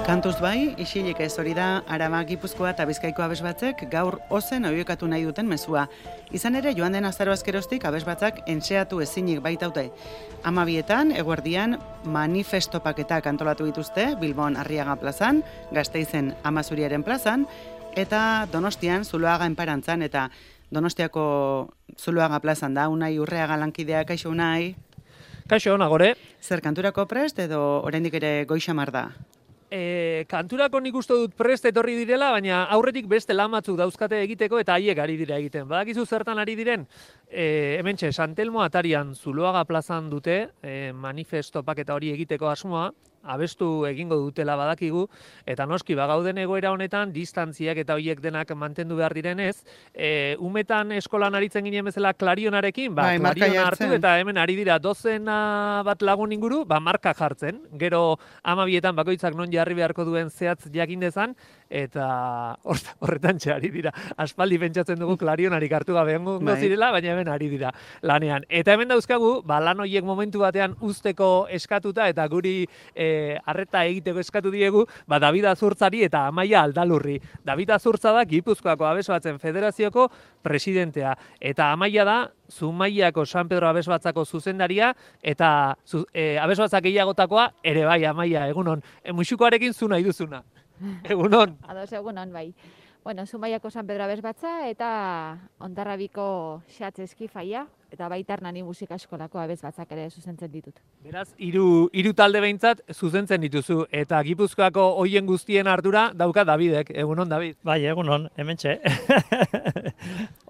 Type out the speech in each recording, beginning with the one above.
Kantuz bai, isilik ez hori da Araba, Gipuzkoa eta Bizkaiko abesbatzek gaur ozen oiekatu nahi duten mezua. Izan ere, joan den azaroazkeroztik abesbatzak entxeatu ezinik baitaute. 12etan, eguerdian, manifestopaketak antolatu dituzte, Bilbon Arriaga plazan, Gasteizen Amazuriaren plazan, eta Donostian Zuloaga enparantzan, eta Donostiako Zuloaga plazan da, Unai Urreaga lankidea, kaixo Unai? Kaixo, nagore. Zer, kanturako prest edo oraindik ere goixamar da? Kanturako nik uste dut prest etorri direla, baina aurretik beste lan batzuk dauzkate egiteko eta haiek ari dira egiten. Badakizu zertan ari diren? Hementxe, San Telmo atarian Zuloaga plazan dute manifestopaketa hori egiteko asmoa, abestu egingo dutela badakigu, eta noski bagauden egoera honetan, distantziak eta horiek denak mantendu behar direnez, umetan eskolan aritzen ginen bezala klarionarekin, klariona hartu eta hemen ari dira dozena bat lagun inguru, marka jartzen, gero 12etan bakoitzak non jarri beharko duen zehatz jakin dezan, eta horretan ari dira. Aspaldi pentsatzen dugu klarionarik hartu gabe egongo zirela, baina hemen ari dira lanean. Eta hemen dauzkagu, lan horiek momentu batean uzteko eskatuta eta guri arreta egiteko eskatu diegu, David Azurtzari eta Amaia Aldalurri. David Azurtza da Gipuzkoako Abesbatzen Federazioko presidentea, eta Amaia da Zumaiako San Pedro Abesbatzako zuzendaria, eta Abesbatzak gehiagotakoa ere bai, Amaia, egunon. Muxukoarekin zu nahi duzuna. Egunon. Ados, egunon, bai. Bueno, Zumaiako San Pedro Abesbatza eta Hondarrabiko Xatz Eskifaia, eta baita Hernani Musika Eskolako abesbatzak ere zuzentzen ditut. Beraz, hiru talde behintzat zuzentzen dituzu, eta Gipuzkoako hoien guztien ardura dauka Davidek. Egunon, David? Bai, egunon, hementxe.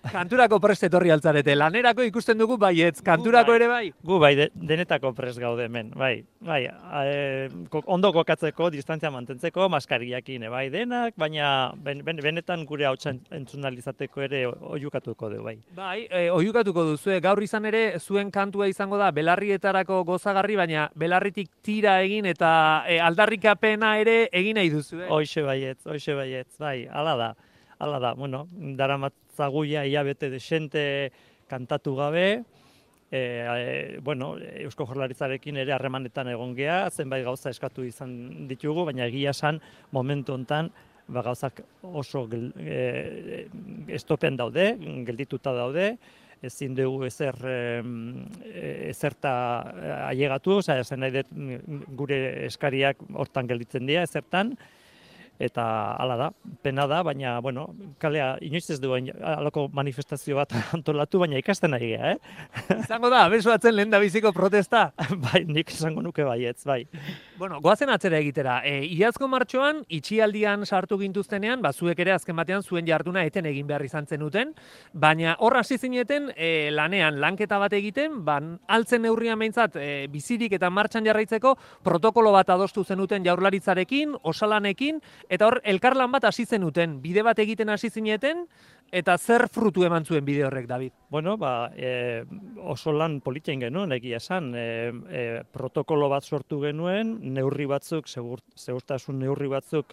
Kanturako prest etorri altzarete, lanerako ikusten dugu baietz, kanturako ere bai? Gu bai, denetako prest gaude hemen, bai. Ondo kokatzeko, distantzia mantentzeko, maskariakin, bai, denak, baina benetan gure hautsa entzunalizateko ere oiukatuko du, bai. Bai, oiukatuko duzu, gaur izan ere zuen kantua izango da belarrietarako gozagarri, baina belarritik tira egin eta aldarrikapena ere egin nahi duzu. Hoxe baietz, bai, hala da, bueno, daramatzaguia hilabete desente kantatu gabe, Eusko Jaurlaritzarekin ere harremanetan egon gea, zenbait gauza eskatu izan ditugu, baina egia esan momentu hontan gauzak oso estopen daude, geldituta daude, ezin dugu ezerta ailegatu, esan nahi dut gure eskariak hortan gelditzen dira, ezertan, eta hala da, pena da, baina, bueno, kalea inoiz ez duen halako manifestazio bat antolatu, baina ikasten ari gea, Izango da, abesbatzen lehen da biziko protesta? Bai, nik esango nuke baietz, bai. Bueno, goazen atzera egitera. Iazko martxoan, itxialdian sartu gintuztenean, zuek ere azken batean zuen jarduna eten egin behar izan zenuten, baina hor hasi zineten lanean, lanketa bat egiten, altzen neurrian behintzat bizirik eta martxan jarraitzeko protokolo bat adostu zenuten Jaurlaritzarekin, osalanekin, eta hor elkarlan bat hasi zenuten, bide bat egiten hasi zineten, eta zer frutu eman zuen bide horrek, David? Bueno, oso lan politxein genuen, egia esan, protokolo bat sortu genuen, neurri batzuk, segurtasun neurri batzuk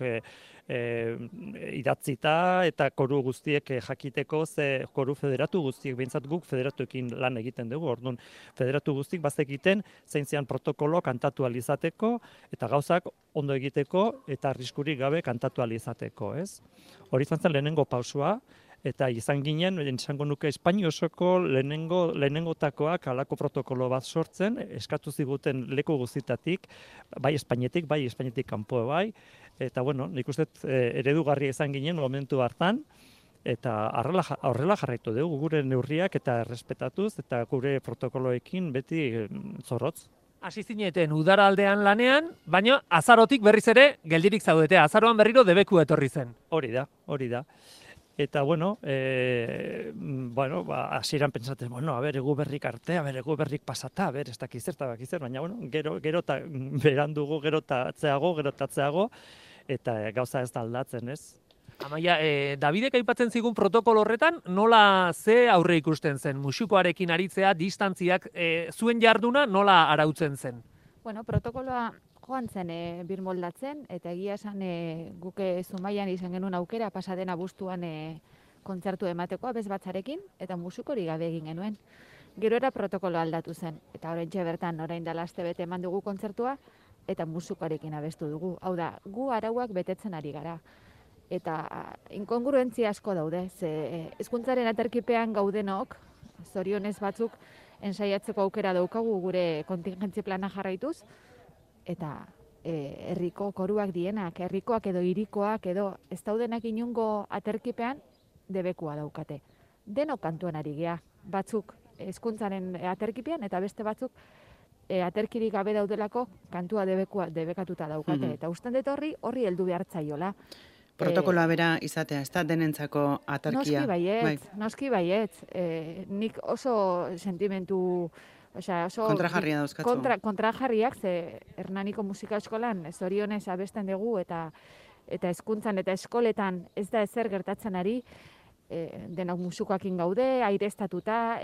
idatzita eta koru guztiek jakiteko, ze koru federatu guztiek, behintzat guk federatuekin lan egiten dugu, orduan federatu guztiek bazekiten zein zian protokolo kantatu alizateko eta gauzak ondo egiteko eta arriskurik gabe kantatu alizateko, ez? Hori izan zen lehenengo pausua, eta izan ginen, esango nuke Espainia osoko lehenengotakoak halako protokolo bat sortzen, eskatu ziguten leku guztietatik, bai Espainetik kanpo bai, eta bueno, nik uste eredugarria izan ginen momentu hartan, eta horrela jarraitu dugu gure neurriak eta errespetatuz, eta gure protokoloekin beti zorrotz. Hasi zineten udara aldean lanean, baina azarotik berriz ere geldirik zaudete, azaroan berriro debeku etorri zen. Hori da. Eta, bueno, hasieran pentsatzen, egu berrik arte, egu berrik pasata, ez dakiz zer, baina, gero eta berandugu, gero eta atzeago, eta gauza ez da aldatzen, ez? Amaia, Davidek aipatzen zigun protokolo horretan, nola ze aurre ikusten zen? Muxukoarekin aritzea, distantziak, zuen jarduna nola arautzen zen? Bueno, protokoloa joan zen birmoldatzen, eta egia esan guke Zumaian izan genuen aukera pasaden abuztuan kontzertu emateko abesbatzarekin, eta musikori gabe egin genuen. Gero era protokolo aldatu zen, eta oraintxe bertan orain dela astebete eman dugu kontzertua, eta musikarekin abestu dugu. Hau da, gu arauak betetzen ari gara. Eta inkongruentzia asko daude, ze hezkuntzaren aterkipean gaudenok, zorionez batzuk, ensaiatzeko aukera daukagu gure kontingentzi plana jarraituz, eta herriko koruak dienak, herrikoak edo hirikoak edo ez daudenak inungo aterkipean debekua daukate. Denok kantuan ari gea, batzuk hezkuntzaren aterkipean eta beste batzuk aterkirik gabe daudelako kantua debekatuta daukate. Eta usten dut horri heldu behar zaiola. Protokoloa bera izatea, ez da denentzako aterkia. Noski baietz. Nik oso sentimentu, oso kontrajarria dauzkatzu. Kontrajarriak, ze Hernaniko musika eskolan zorionez abesten dugu eta hezkuntzan eta eskoletan ez da ezer gertatzen ari, denok musukoakin gaude, aireztatuta,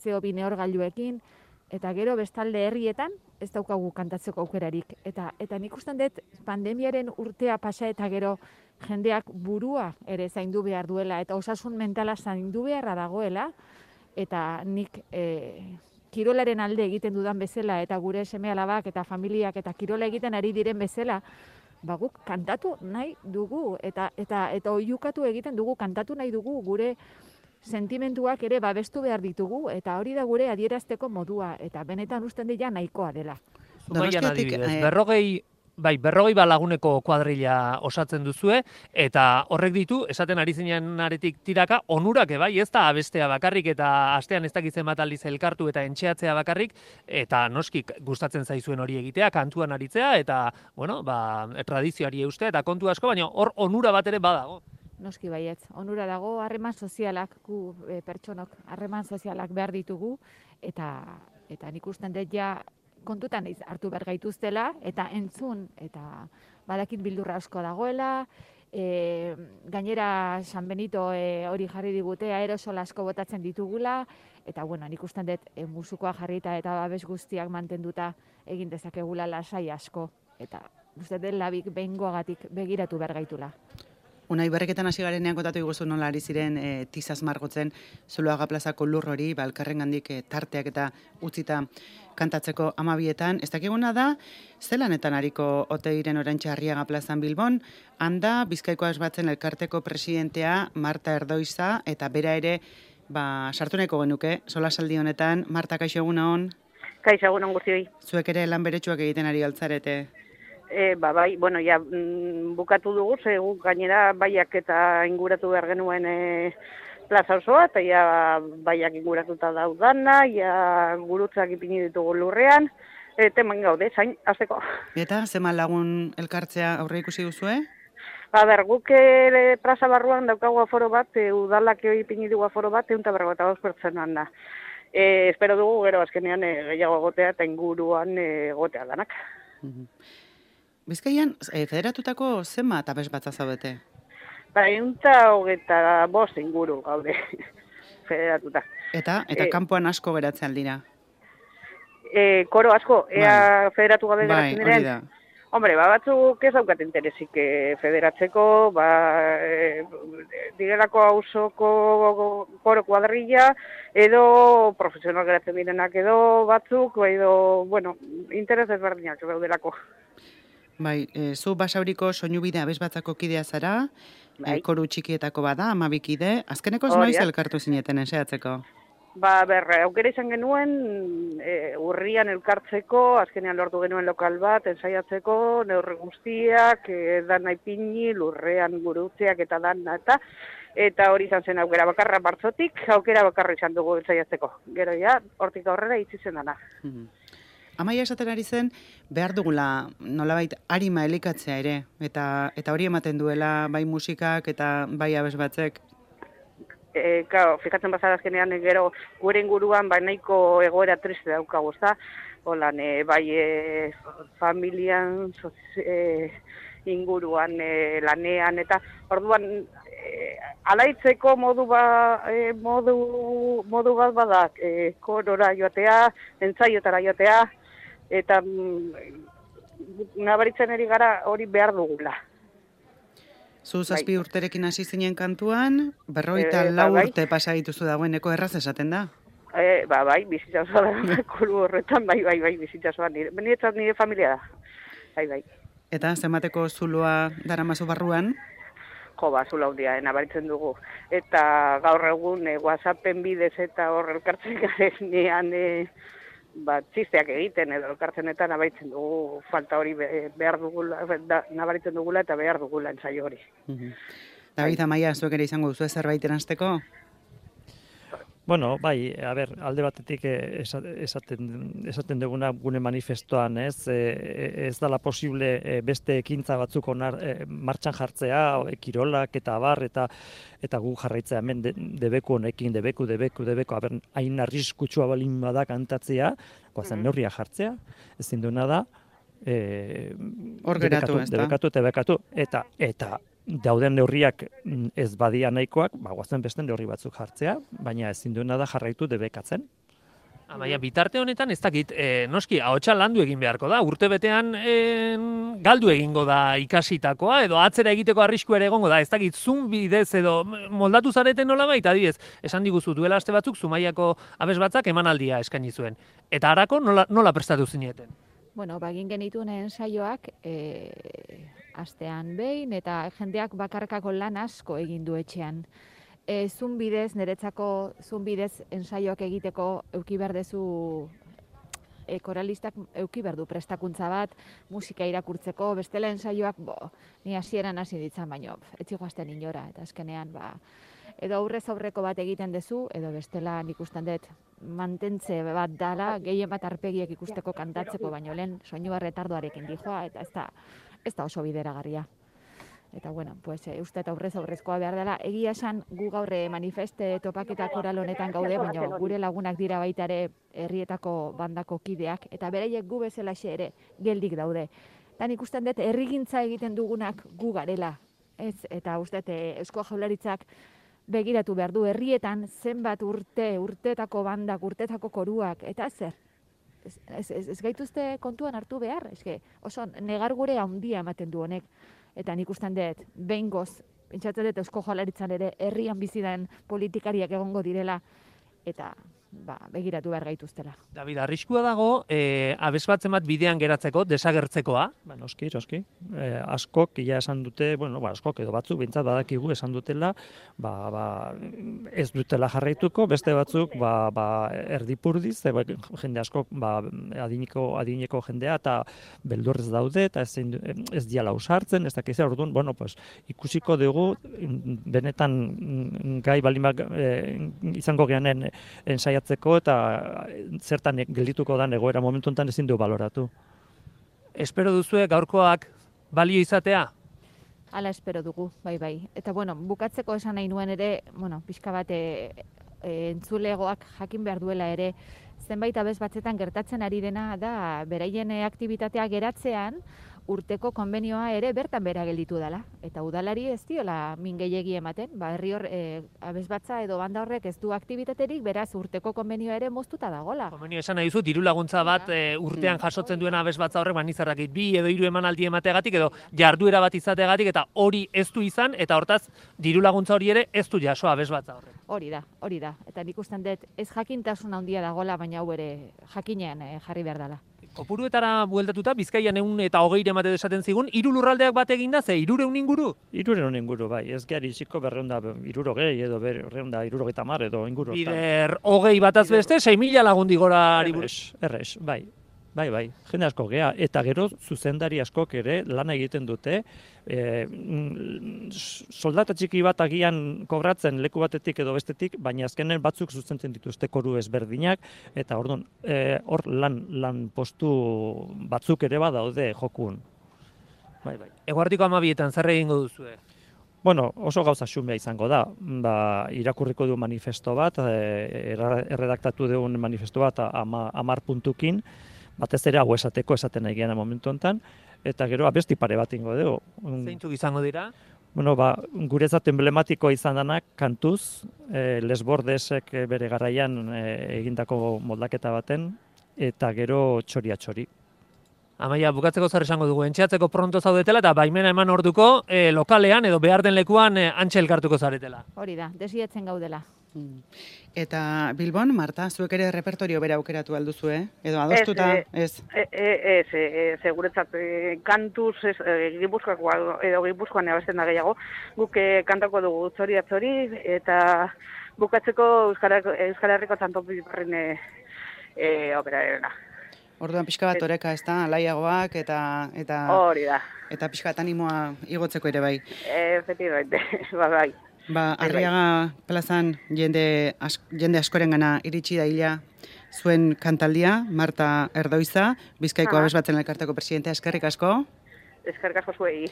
CO2 neurgailuekin, eta gero bestalde herrietan ez daukagu kantatzeko aukerarik. Eta nik usten dut pandemiaren urtea pasa eta gero jendeak burua ere zaindu behar duela eta osasun mentala zaindu beharra dagoela, eta nik kirolaren alde egiten dudan bezala eta gure seme-alabak eta familiak eta kirola egiten ari diren bezala, guk kantatu nahi dugu eta oiukatu egiten dugu, kantatu nahi dugu, gure sentimentuak ere babestu behar ditugu, eta hori da gure adierazteko modua, eta benetan usten dira nahikoa dela. Zumaian adibidez, 40 laguneko kuadrilla osatzen duzue, eta horrek ditu, esaten ari zinen aretik tiraka, onurak bai, ez da abestea bakarrik, eta astean ez dakitzen bat aldiz elkartu eta entxeatzea bakarrik, eta noski gustatzen zaizuen hori egitea, kantuan aritzea, eta, tradizioari eustea, eta kontu asko, baina hor onura bat ere badago. Noski baietz, onura dago, harreman sozialak, gu pertsonok harreman sozialak behar ditugu, eta nik usten dut ja kontutan hartu behar gaituztela, eta entzun, eta badakit bildurra asko dagoela, gainera San Benito hori jarri digute, aerosol asko botatzen ditugula, eta nik usten dut musukoa jarrita eta babes guztiak mantenduta egin dezakegula lasai asko, eta uste dut labik behingoagatik begiratu behar gaitula. Unai, berreketan hasi garenean kontatu iguzu nola ari ziren tizaz margotzen Zuloaga plazako lur hori, elkarrengandik tarteak eta utzita kantatzeko 12etan. Ez dakiguna da, zelanetan ariko Oteiren oraintxe Arriaga plazan Bilbon, handa Bizkaiko Asbatzen elkarteko presidentea Marta Erdoiza, eta bera ere, sartu nahiko genuke, solasaldi honetan. Marta, kaixo egun hon? Kaixo egun hon guztioi. Zuek ere lan beretsuak egiten ari altzarete. Bai, bukatu dugu, guk gainera baiak eta inguratu behar genuen plaza osoa, eta baiak inguratuta daudana, gurutzak ipini ditugu lurrean, teman gaude, zain, azteko. Eta, zeman lagun elkartzea aurre ikusi duzue? Guk plaza barruan daukagu aforo bat, udalak ipini dugu aforo bat, 152 pertsonan da. Espero dugu, gero azkenean gehiago gotea eta inguruan gotea danak. Bizkaian, federatutako zenbat abes batza zaudete? 125 inguru gaude federatuta. Eta kanpoan asko geratzen aldira? Koro asko, federatu gabe geratzen diren? Bai, hori da. Hombre, batzuk ez daukat interesik federatzeko, direlako hausoko koro kuadrilla, edo profesional geratzen direnak edo batzuk, edo, interes ezberdinak daudelako. Bai, zu Basauriko soinubide abesbatzako kidea zara, koru txikietako bada, 12 kide, azkeneko noiz elkartu zineten enseatzeko? Aukera izan genuen, urrian elkartzeko, azkenean lortu genuen lokal bat, ensaiatzeko, neurri guztiak, dana ipini, lurrean gurutzeak eta dana eta hori izan zen aukera bakarra martzotik, aukera bakarra izan dugu ensaiatzeko. Gero hortik aurrera itzi zen dana. Amaia esaten ari zen, behar dugula nolabait arima elikatzea ere, eta hori ematen duela bai musikak eta bai abesbatzek. Fikatzen bazara azkenean gero gure inguruan nahiko egoera triste daukagu, ezta? Holan, bai familian, inguruan, lanean, eta orduan alaitzeko modu bat badak, korora joatea, entzaiotara joatea, eta nabaritzen eri gara hori behar dugula. Zu 7 urterekin hasi zinen kantuan, 54 urte pasa dituzu dagoeneko, erraz esaten da? Bai, bizitza osoa da, kolu horretan, bai, bizitza osoa. Nire familia da, bai. Eta zenbateko zuloa daramazu barruan? Jo, zula hundia, nabaritzen dugu. Eta gaur egun WhatsAppen bidez eta hor elkartzen garenean txisteak egiten edo elkartzen eta nabaritzen dugu falta hori behar dugula, nabaritzen dugula eta behar dugula ensaio hori. David, Amaia, zuek ere izango duzu zerbait eranzteko? Bueno, bai, alde batetik esaten duguna gune manifestoan, ez dela posible beste ekintza batzuk martxan jartzea, kirolak eta abar, eta gu jarraitzea hemen debeku honekin, debeku, hain arriskutsua balin bada kantatzea, goazen neurria jartzea, ezin duena da, hor geratu, debekatu, eta dauden neurriak ez badia nahikoak, goazen beste neurri batzuk jartzea, baina ezin duena da jarraitu debekatzen. Baina bitarte honetan ez dakit, noski, ahotsa landu egin beharko da, urtebetean galdu egingo da ikasitakoa, edo atzera egiteko arriskua ere egongo da, ez dakit, Zoom bidez edo moldatu zareten nola baita, adibidez, esan diguzu duela aste batzuk, Zumaiako abesbatzak emanaldia eskaini zuen. Eta harako nola prestatu zineten? Bueno, egin genituen ensaioak astean behin, eta jendeak bakarkako lan asko egin du etxean. Zoom bidez, niretzako Zoom bidez ensaioak egiteko euki behar dezu koralistak euki behar du prestakuntza bat, musika irakurtzeko, bestela ensaioak, ni hasieran hasi ditzan, baino, etzi joazten inora, eta azkenean, edo aurrez aurreko bat egiten dezu, edo bestela nik usten dut mantentze bat dala, gehien bat arpegiek ikusteko kantatzeko, baino lehen soinua retardoarekin dijoa, eta ez da oso bideragarria. Eta, uste eta aurrezkoa behar dela. Egia esan, gu gaur manifeste topaketa koral honetan gaude, baina gure lagunak dira baita ere herrietako bandako kideak, eta beraiek gu bezalaxe ere geldik daude. Eta nik usten dut, herrigintza egiten dugunak gu garela. Eta uste, Eusko Jaurlaritzak begiratu behar du herrietan zenbat urteetako bandak, urteetako koruak, eta zer? Ez gaituzte kontuan hartu behar, oso negar gure handia ematen du honek. Eta nik usten dut, behingoz, pentsatzen dut Eusko Jaurlaritzan ere herrian bizi den politikariak egongo direla, eta begiratu behar gaituztela. David, arriskua dago, abesbatzen bat bidean geratzeko, desagertzekoa? Noski. Askok, ja esan dute, askok edo batzuk, bintzat badakigu esan dutela, ez dutela jarraituko, beste batzuk, erdipurdiz, jende askok, adineko jendea, eta beldurrez daude, eta ez diala usartzen, ez dakiz, orduan, ikusiko dugu, benetan gai balimak izango geanen ensaiatzeko, eta zertan geldituko da egoera momentu honetan ezin du baloratu. Espero duzue gaurkoak balio izatea? Hala espero dugu, bai. Eta bukatzeko esan nahi nuen ere, pixka bat entzulegoak jakin behar duela ere, zenbait abez batzetan gertatzen ari dena da beraien aktibitatea geratzean, urteko konbenioa ere bertan bera gelditu dela. Eta udalari ez diola min gehiegi ematen, herri hor abesbatza edo banda horrek ez du aktibitaterik, beraz urteko konbenioa ere moztuta dagola. Konbenio esan nahi duzu, diru laguntza bat urtean jasotzen duena abesbatza horrek banizarrakit 2 edo 3 emanaldi emategatik edo jarduera bat izategatik, eta hori ez du izan, eta hortaz diru laguntza hori ere ez du jaso abesbatza horrek. Hori da. Eta nik usten dut ez jakintasun handia dagola, baina hau ere jakinean jarri behar dela. Kopuruetara bueltatuta, Bizkaian 120 emate desaten zigun, 3 lurraldeak bat eginda, ze 300 inguru? 300 inguru, bai. Ez gehari iziko 260 edo 270 edo inguru. Bider, 20 bataz beste, 6.000 lagundi gora buruz. Errez, bai. Jende asko gea, eta gero zuzendari askok ere lan egiten dute, soldata txiki bat agian kobratzen leku batetik edo bestetik, baina azkenen batzuk zuzentzen dituzte koru ezberdinak, eta orduan, hor lan postu batzuk ere badaude jokun. Bai. Eguardiko 12etan zer egingo duzue? Oso gauza xumea izango da. Irakurriko du manifesto bat, erredaktatu dugun manifesto bat 10 puntukin, batez ere hau esaten nahi gehan momentu honetan, eta gero abesti pare bat ingo dugu. Zeintzuk izango dira? Guretzat emblematikoa izan danak kantuz, Les Bordesek bere garaian egindako moldaketa baten, eta gero txoria-txori. Amaia, bukatzeko zer esango dugu, entxeatzeko pronto zaudetela eta baimena eman orduko lokalean edo behar den lekuan antxe elkartuko zaretela. Hori da, desiatzen gaudela. Eta Bilbon, Marta, zuek ere repertorio bera aukeratu alduzu, Edo adostuta, ez? Guretzat, kantuz, Gipuzkoakoa edo Gipuzkoan abesten da gehiago, guk kantako dugu atzori, eta bukatzeko Euskal Herriko Txantopiparrin opera. Orduan pixka bat oreka, ez da, alaiagoak eta Hori da. Eta pixka bat animoa igotzeko ere bai. Efectivamente, bai. Arriaga plazan jende askorengana iritsi daila zuen kantaldia, Marta Erdoiza, Bizkaiko Abesbatzen Elkarteko presidentea, eskerrik asko. Eskerrik asko zuei.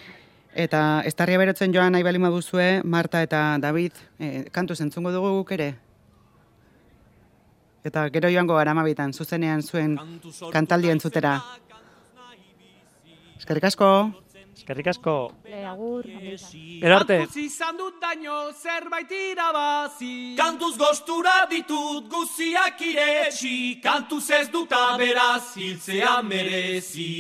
Eta Eztarria berotzen joan nahi bali maduzue, Marta eta David, kantuz entzungo dugu guk ere? Eta gero joango gara amabitan, zuzenean zuen kantaldia entzutera. Eskerrik asko. Eskerrik asko. Agur. Erarte. Kantuz izan dut daño zerbait irabazi. Kantuz gostura ditut guziak iretsi. Kantuz ez dut aberaz hiltzea merezi.